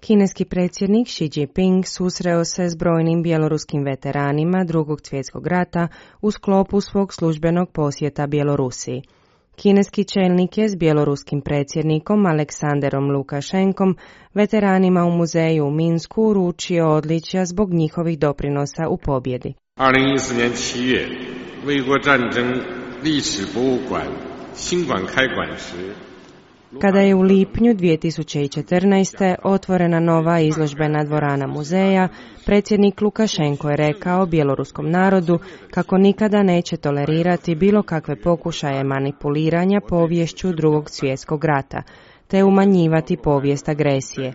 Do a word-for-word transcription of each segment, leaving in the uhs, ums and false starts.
Kineski predsjednik Xi Jinping susreo se s brojnim bjeloruskim veteranima Drugog svjetskog rata u sklopu svog službenog posjeta Bjelorusiji. Kineski čelnik je s bjeloruskim predsjednikom Aleksanderom Lukašenkom veteranima u muzeju u Minsku uručio odličja zbog njihovih doprinosa u pobjedi.二零一四年七月，卫国战争历史博物馆新馆开馆时， Kada je u lipnju dvije tisuće četrnaeste. otvorena nova izložbena dvorana muzeja, predsjednik Lukašenko je rekao bjeloruskom narodu kako nikada neće tolerirati bilo kakve pokušaje manipuliranja poviješću Drugog svjetskog rata, te umanjivati povijest agresije.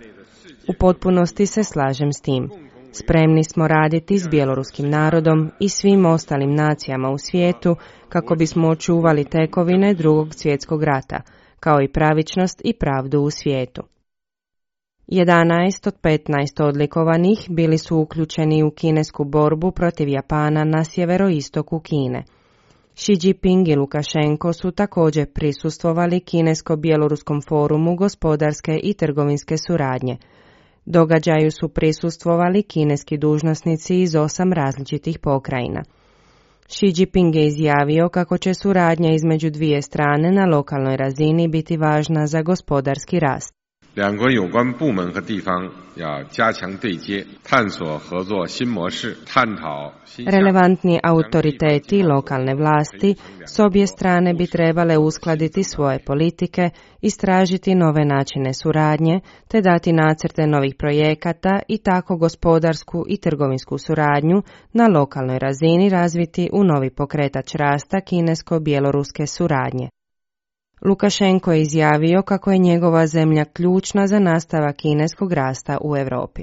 U potpunosti se slažem s tim. Spremni smo raditi s bjeloruskim narodom i svim ostalim nacijama u svijetu kako bismo očuvali tekovine Drugog svjetskog rata, kao i pravičnost i pravdu u svijetu. jedanaest od petnaest odlikovanih bili su uključeni u kinesku borbu protiv Japana na sjeveroistoku Kine. Xi Jinping i Lukašenko su također prisustvovali Kinesko-bjeloruskom forumu gospodarske i trgovinske suradnje. Događaju su prisustvovali kineski dužnosnici iz osam različitih pokrajina. Xi Jinping je izjavio kako će suradnja između dvije strane na lokalnoj razini biti važna za gospodarski rast. 两国有关部门和地方要加强对接，探索合作新模式，探讨新 Relevantni autoriteti i lokalne vlasti s obje strane bi trebale uskladiti svoje politike, istražiti nove načine suradnje, te dati nacrte novih projekata i tako gospodarsku i trgovinsku suradnju na lokalnoj razini razviti u novi pokretač rasta kinesko-bjeloruske suradnje. Lukašenko je izjavio kako je njegova zemlja ključna za nastavak kineskog rasta u Europi.